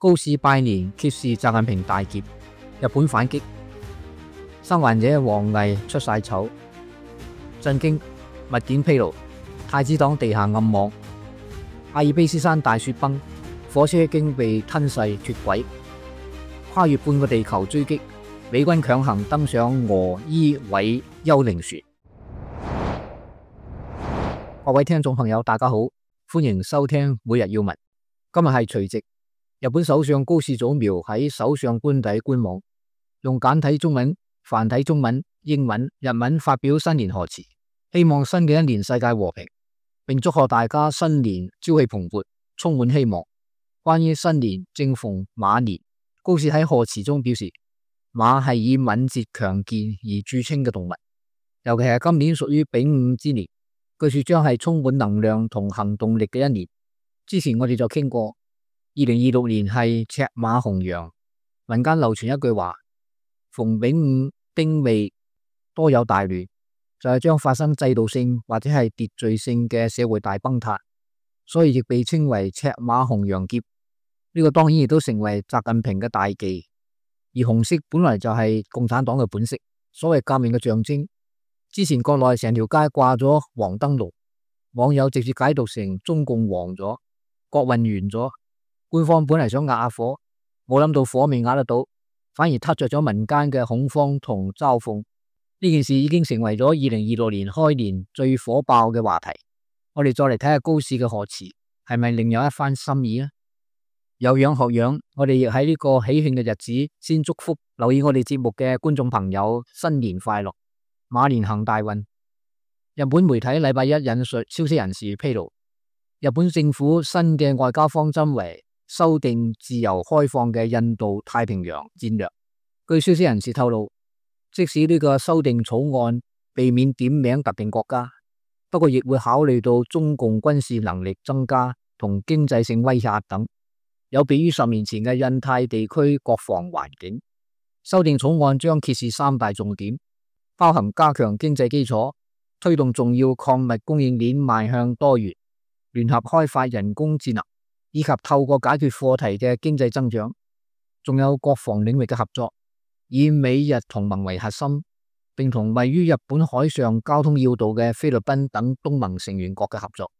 高市拜年揭示習近平大劫，日本反擊，生還者王毅出晒醜，震驚密件披露，太子黨地下暗網，阿爾卑斯山大雪崩，火車經被吞噬脫軌，跨越半個地球追擊，美軍強行登上俄伊韋幽靈船。各位聽眾朋友大家好，歡迎收聽每日要聞。今日係除夕，日本首相高市早苗喺首相官邸官網用簡體中文、繁體中文、英文、日文發表新年賀詞，希望新嘅一年世界和平，並祝賀大家新年朝氣蓬勃，充滿希望。關於新年正逢馬年，高市喺賀詞中表示，馬係以敏捷強健而著稱嘅動物，尤其係今年屬於丙午之年，據說將係充滿能量同行動力嘅一年。之前我哋就傾過，2026年係赤馬紅羊，民間流傳一句話，逢丙午丁未多有大亂，就係將發生制度性或者係秩序性嘅社會大崩塌，所以亦被稱為赤馬紅羊劫。呢個當然亦都成為習近平嘅大忌。而紅色本來就係共產黨嘅本色，所謂革命嘅象徵。之前國內成條街掛咗黃燈籠，網友直接解讀成中共黃咗，國運完咗。官方本嚟想壓下火，冇諗到火未壓得到，反而撻着咗民間嘅恐慌同嘲諷。呢件事已經成為咗2026年開年最火爆嘅話題。我哋再嚟睇下高市嘅賀詞，係咪另有一番心意呢？有樣學樣，我哋亦喺呢個喜慶嘅日子先祝福留意我哋節目嘅觀眾朋友新年快樂，馬年行大運。日本媒體禮拜一引述消息人士披露，日本政府新嘅外交方針為修訂自由開放嘅印度太平洋戰略。據消息人士透露，即使呢個修訂草案避免點名特定國家，不過亦會考慮到中共軍事能力增加同經濟性威脅等，有別於10年前嘅印太地區國防環境。修訂草案將揭示3大重點，包含加強經濟基礎，推動重要礦物供應鏈邁向多元，聯合開發人工智能，以及透過解決課題嘅經濟增長。仲有國防領域嘅合作，以美日同盟為核心，並同位於日本海上交通要道嘅菲律賓等東盟成員國嘅合作。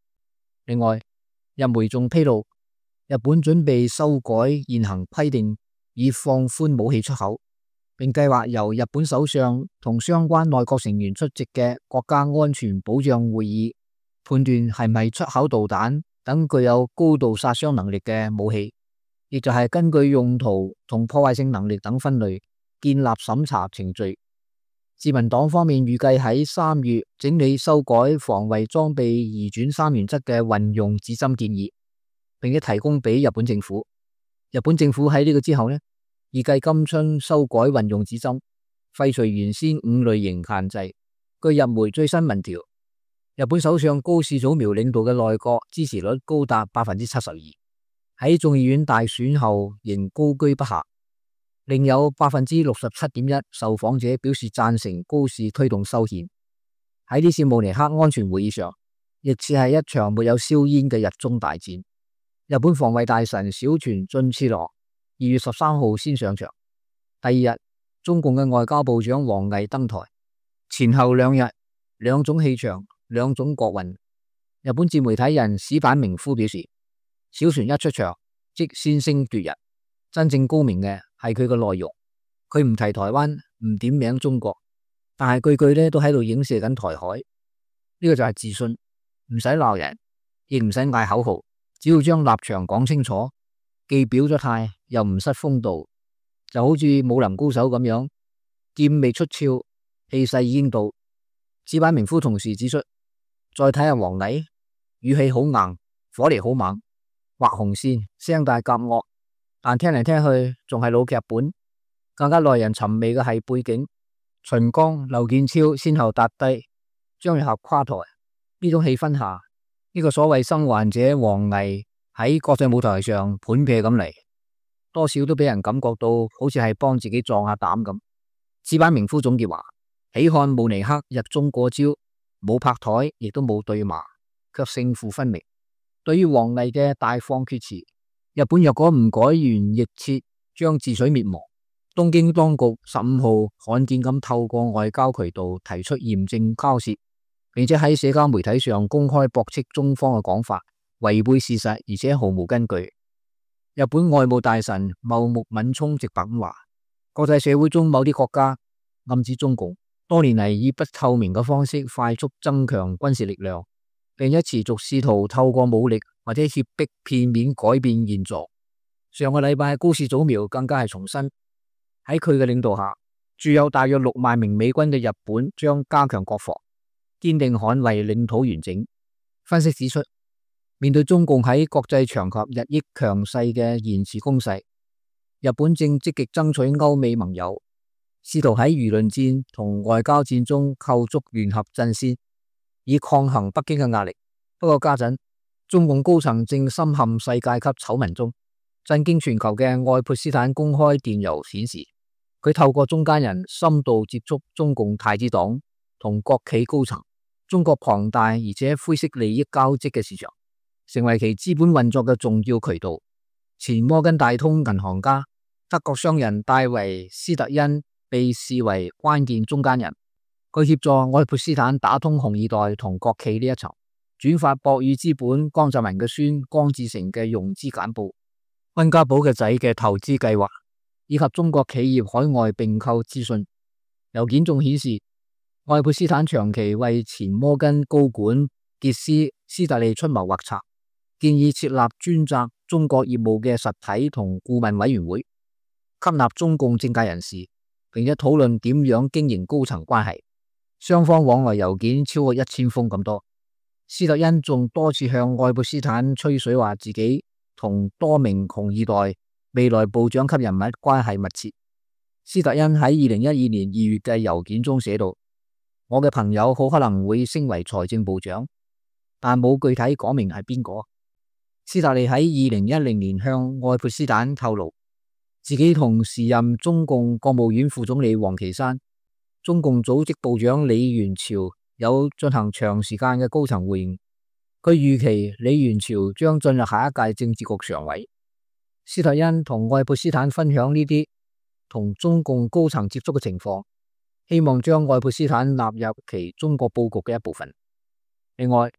另外，日媒仲披露，日本準備修改現行規定，以放寬武器出口，並計劃由日本首相同相關內閣成員出席嘅國家安全保障會議，判斷係咪出口導彈等具有高度殺傷能力嘅武器，亦就係根據用途同破壞性能力等分類建立審查程序。自民黨方面預計喺3月整理修改防衛裝備移轉3原則嘅運用指針建議，並且提供俾日本政府。日本政府喺呢個之後呢，預計今春修改運用指針，廢除原先5類型限制。據日媒最新民調，日本首相高市早苗領導嘅內閣支持率高達 72%， 喺眾議院大選後仍高居不下。另有 67.1% 受訪者表示贊成高市推動修憲。喺呢次慕尼黑安全會議上，亦似係一場沒有硝煙嘅日中大戰。日本防衛大臣小泉進次郎2月13號先上場，第二日中共嘅外交部長王毅登台，前後2日兩種氣場，兩種國運。日本自媒體人矢板明夫表示，小泉一出場即先聲奪人，真正高明嘅係佢嘅內容。佢唔提台灣，唔點名中國，但係句句咧都喺度影射緊台海。呢個就係自信，唔使鬧人，亦唔使嗌口號，只要將立場講清楚，既表咗態又唔失風度，就好似武林高手咁樣，劍未出鞘，氣勢已經到。矢板明夫同時指出，再睇下王毅，語氣好硬，火力好猛，畫紅線，聲大夾惡，但聽嚟聽去仲係老劇本。更加耐人尋味嘅係背景，秦剛、劉建超先後踏低，張又俠垮台。呢種氣氛下，呢個所謂生還者王毅喺國際舞台上盤劈咁嚟，多少都俾人感覺到好似係幫自己壯下膽咁。矢板明夫總結話，喜看慕尼黑日中過招，冇拍台亦都冇對罵，卻勝負分明。對於王毅嘅大放厥詞，日本若果唔改弦易轍，將自取滅亡。東京當局15號罕見咁透過外交渠道提出嚴正交涉，並且喺社交媒體上公開駁斥中方嘅講法，違背事實而且毫無根據。日本外務大臣茂木敏充直白咁話，國際社會中某啲國家暗指中共多年嚟以不透明嘅方式快速增強軍事力量，並且持續試圖透過武力或者脅迫片面改變現狀。上個禮拜高市早苗更加係重申，喺佢嘅領導下，駐有大約6萬名美軍嘅日本將加強國防，堅定捍衛領土完整。分析指出，面對中共喺國際場合日益強勢嘅言辭攻勢，日本正積極爭取歐美盟友，試圖喺輿論戰同外交戰中構築聯合陣線，以抗衡北京嘅壓力。不過家陣，中共高層正深陷世界級醜聞中。震驚全球嘅愛潑斯坦公開電郵顯示，佢透過中間人深度接觸中共太子黨同國企高層，中國龐大而且灰色利益交織嘅市場，成為其資本運作嘅重要渠道。前摩根大通銀行家德國商人戴維斯特恩被視為關鍵中間人，佢協助愛潑斯坦打通紅二代同國企呢一層，轉發博宇資本江澤民嘅孫江志成嘅融資簡報、溫家寶嘅仔嘅投資計劃，以及中國企業海外併購資訊。郵件仲顯示，愛潑斯坦長期為前摩根高管傑斯斯特利出謀劃策，建議設立專責中國業務嘅實體同顧問委員會，吸納中共政界人士，並且討論點樣經營高層關係。雙方往來郵件超過1000封咁多。斯特恩仲多次向愛潑斯坦吹水，話自己同多名紅二代未來部長級人物關係密切。斯特恩喺2012年2月嘅郵件中寫道：我嘅朋友好可能會升為財政部長，但冇具體講明係邊個。斯特利喺2010年向愛潑斯坦透露，自己同時任中共國務院副總理王岐山、中共組織部長李源潮有進行長時間嘅高層會晤。佢預期李源潮將進入下一屆政治局常委。斯特恩同愛潑斯坦分享呢啲同中共高層接觸嘅情況，希望將愛潑斯坦納入其中國佈局嘅一部分。另外，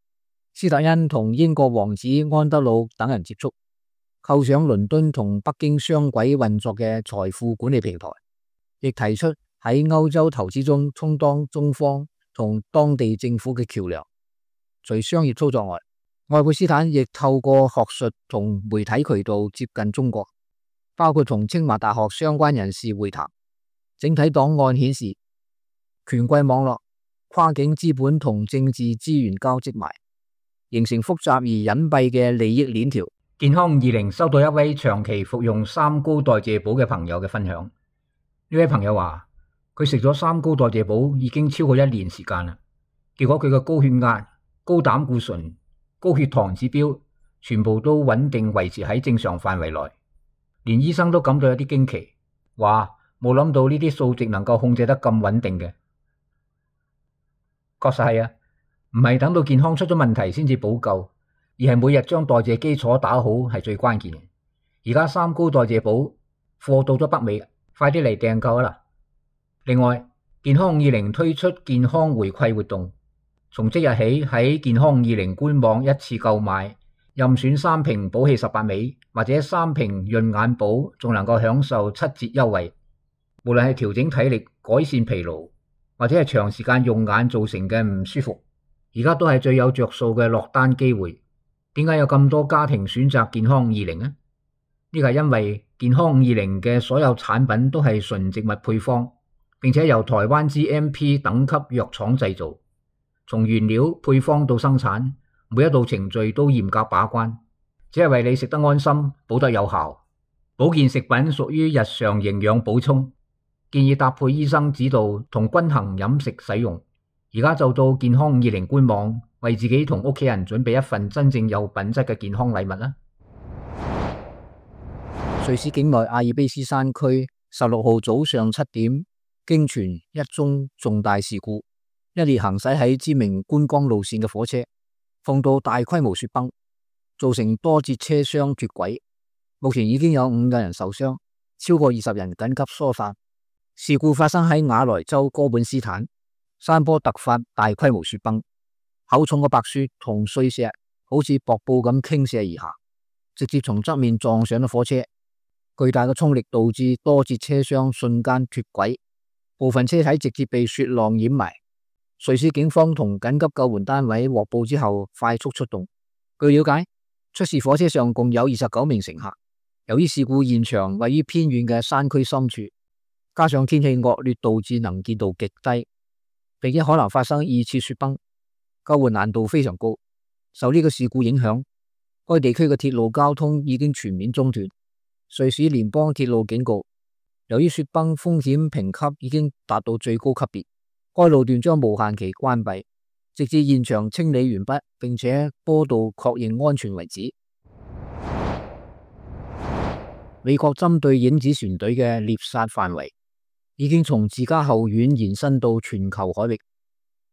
斯特恩同英國王子安德魯等人接觸，構想倫敦同北京雙軌運作嘅財富管理平台，亦提出喺歐洲投資中充當中方同當地政府嘅橋樑。除商業操作外，愛潑斯坦亦透過學術同媒體渠道接近中國，包括同清華大學相關人士會談。整體檔案顯示，權貴網絡、跨境資本同政治資源交織埋，形成複雜而隱蔽嘅利益鏈條。健康20收到一位長期服用三高代謝寶嘅朋友嘅分享。呢位朋友話，佢食咗三高代謝寶已經超過1年時間啦，結果佢嘅高血壓、高膽固醇、高血糖指標全部都穩定維持喺正常範圍內，連醫生都感到有啲驚奇，話冇諗到呢啲數值能夠控制得咁穩定嘅。確實係啊，唔係等到健康出咗問題先至補救，而係每日將代謝基礎打好係最關鍵嘅。而家三高代謝寶貨到咗北美，快啲嚟訂購啦！另外，健康50推出健康回饋活動。從即日起喺健康20官網一次購買，任選3瓶寶氣18味或者3瓶潤眼寶，仲能夠享受7折優惠。無論係調整體力、改善疲勞，或者係長時間用眼造成嘅唔舒服，而家都係最有着數嘅落單機會。點解有咁多家庭選擇健康20呢？呢個係因為健康20嘅所有產品都係純植物配方，並且由台灣 GMP 等級藥廠製造。從原料配方到生產，每一道程序都嚴格把關，只係為你食得安心、補得有效。保健食品屬於日常營養補充，建議搭配醫生指導同均衡飲食使用。而家就到健康20官網，為自己同屋企人準備一份真正有品質嘅健康禮物啦！瑞士境內阿爾卑斯山區16號早上7點，驚傳一宗重大事故。一列行駛喺知名觀光路線嘅火車，碰到大規模雪崩，造成多節車廂脫軌。目前已經有5個人受傷，超過20人緊急疏散。事故發生喺瓦萊州哥本斯坦，山坡突發大規模雪崩，厚重嘅白雪同碎石好似瀑布咁傾瀉而下，直接從側面撞上咗火車。巨大嘅衝力導致多節車廂瞬間脫軌，部分車體直接被雪浪掩埋。瑞士警方同緊急救援單位獲報之後快速出動。據了解，出事火車上共有29名乘客。由於事故現場位於偏遠嘅山區深處，加上天氣惡劣導致能見度極低，並且可能發生2次雪崩，救援難度非常高。受呢個事故影響，該地區嘅鐵路交通已經全面中斷。瑞士聯邦鐵路警告，由於雪崩風險評級已經達到最高級別，該路段將無限期關閉，直至現場清理完畢並且坡道確認安全為止。美國針對影子船隊嘅獵殺範圍已經從自家後院延伸到全球海域。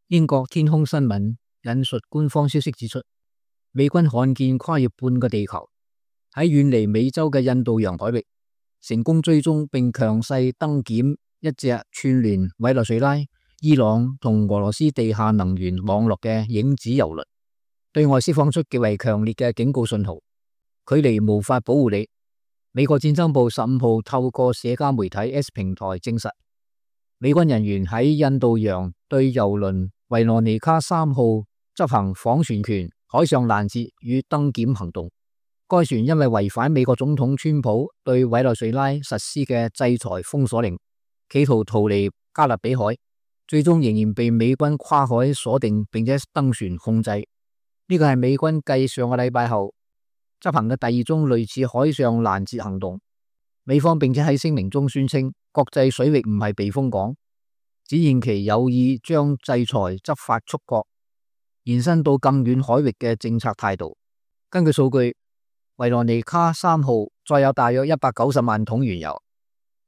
英國天空新聞引述官方消息指出，美軍罕見跨越半個地球，喺遠離美洲嘅印度洋海域成功追蹤並強勢登檢一隻串聯委內瑞拉、伊朗同俄羅斯地下能源網絡嘅影子郵輪，對外釋放出極為強烈嘅警告信號，距離無法保護你。美國戰爭部15號透過社交媒體 X 平台證實，美軍人員喺印度洋對郵輪維羅妮卡3號執行訪船權、海上攔截與登檢行動。該船因為違反美國總統川普對委內瑞拉實施嘅制裁封鎖令，企圖逃離加勒比海，最終仍然被美軍跨海鎖定並且登船控制。呢個係美軍繼上個禮拜後執行嘅第2宗類似海上攔截行動。美方並且喺聲明中宣稱，國際水域唔係避風港，展現其有意將制裁執法觸角延伸到更遠海域嘅政策態度。根據數據，維羅妮卡3號載有大約190萬桶原油。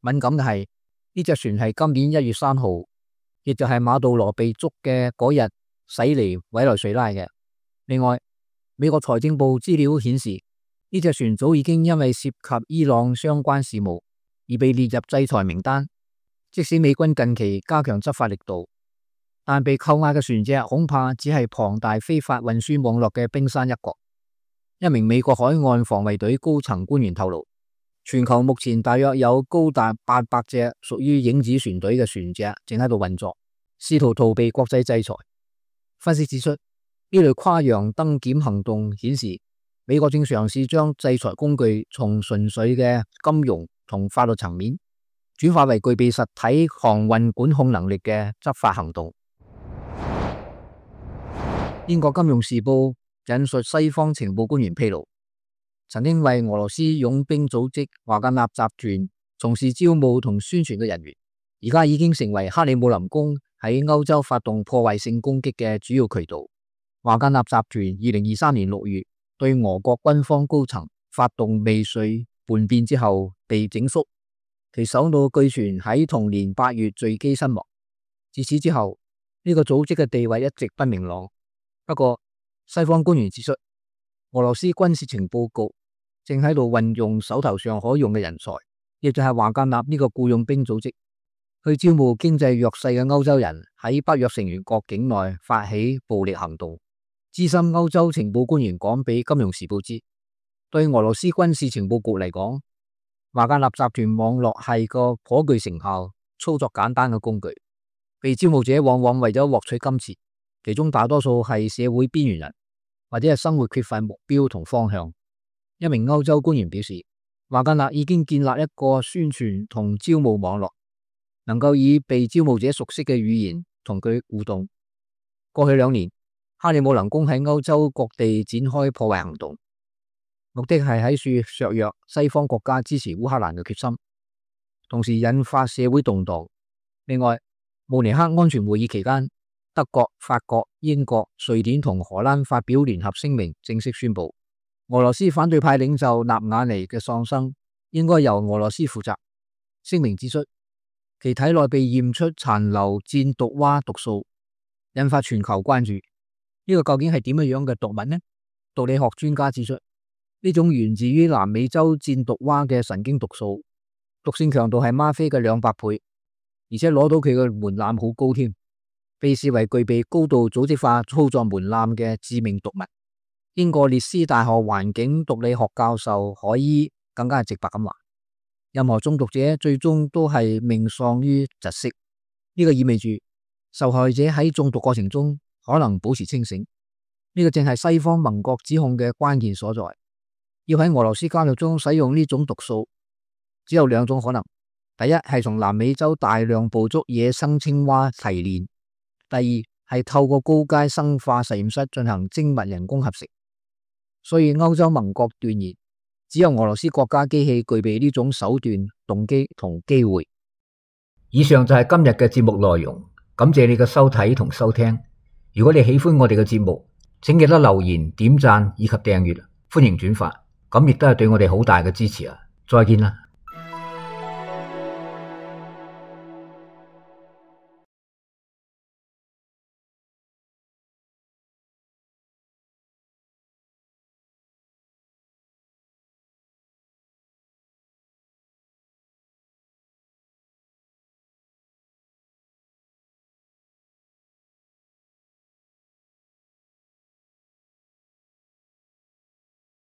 敏感嘅係，呢隻船係今年1月3號，亦就係馬杜羅被捉嘅嗰日駛離委內瑞拉嘅。另外，美國財政部資料顯示，呢隻船早已經因為涉及伊朗相關事務而被列入制裁名單。即使美軍近期加強執法力度，但被扣押嘅船隻恐怕只係龐大非法運輸網絡嘅冰山一角。一名美國海岸防衛隊高層官員透露，全球目前大約有高達800隻屬於影子船隊嘅船隻正喺度運作，試圖逃避國際制裁。分析指出，呢類跨洋登檢行動顯示，美國正嘗試將制裁工具從純粹嘅金融同法律層面轉化為具備實體航運管控能力嘅執法行動。英國金融時報引述西方情報官員披露，曾經為俄羅斯傭兵組織華格納集團從事招募同宣傳嘅人員，而家已經成為克里姆林宮喺歐洲發動破壞性攻擊嘅主要渠道。華格納集團2023年6月對俄國軍方高層發動未遂叛變之後被整肅，其首腦據傳喺同年8月墜機身亡。自此之後，呢個組織嘅地位一直不明朗。不過，西方官員指出，俄羅斯軍事情報局正喺度運用手頭上可用嘅人才，亦就係華格納呢個僱傭兵組織，去招募經濟弱勢嘅歐洲人喺北約成員國境內發起暴力行動。資深歐洲情報官員講俾《金融時報》知，對俄羅斯軍事情報局嚟講，華格納集團網絡係個頗具成效、操作簡單嘅工具。被招募者往往為咗獲取金錢，其中大多數係社會邊緣人，或者係生活缺乏目標同方向。一名歐洲官員表示，華格納已經建立一個宣傳同招募網絡，能夠以被招募者熟悉嘅語言同佢互動。過去2年，克里姆林宮喺歐洲各地展開破壞行動，目的係喺處削弱西方國家支持烏克蘭嘅決心，同時引發社會動盪。另外，慕尼黑安全會議期間，德國、法國、英國、瑞典同荷蘭發表聯合聲明，正式宣布俄羅斯反對派領袖納瓦尼嘅喪生應該由俄羅斯負責。聲明指出，其體內被驗出殘留箭毒蛙毒素，引發全球關注。呢個究竟係點樣嘅毒物呢？毒理學專家指出，呢種源自於南美洲箭毒蛙嘅神經毒素，毒性強度係嗎啡嘅200倍，而且攞到佢嘅門檻好高添，被視為具備高度組織化操作門檻嘅致命毒物。英國列斯大學環境毒理學教授海伊更加係直白咁話，任何中毒者最終都係命喪於窒息。呢個意味住受害者喺中毒過程中可能保持清醒。呢個正係西方盟國指控嘅關鍵所在。要喺俄羅斯監獄中使用呢種毒素，只有2種可能：第一係從南美洲大量捕捉野生青蛙提煉；第二係透過高階生化實驗室進行精密人工合成。所以歐洲盟國斷言，只有俄羅斯國家機器具備呢種手段、動機同機會。以上就係今日嘅節目內容，感謝你嘅收睇同收聽。如果你喜歡我哋嘅節目，請記得留言、點讚以及訂閱，歡迎轉發，咁亦都係對我哋好大嘅支持啊！再見啦。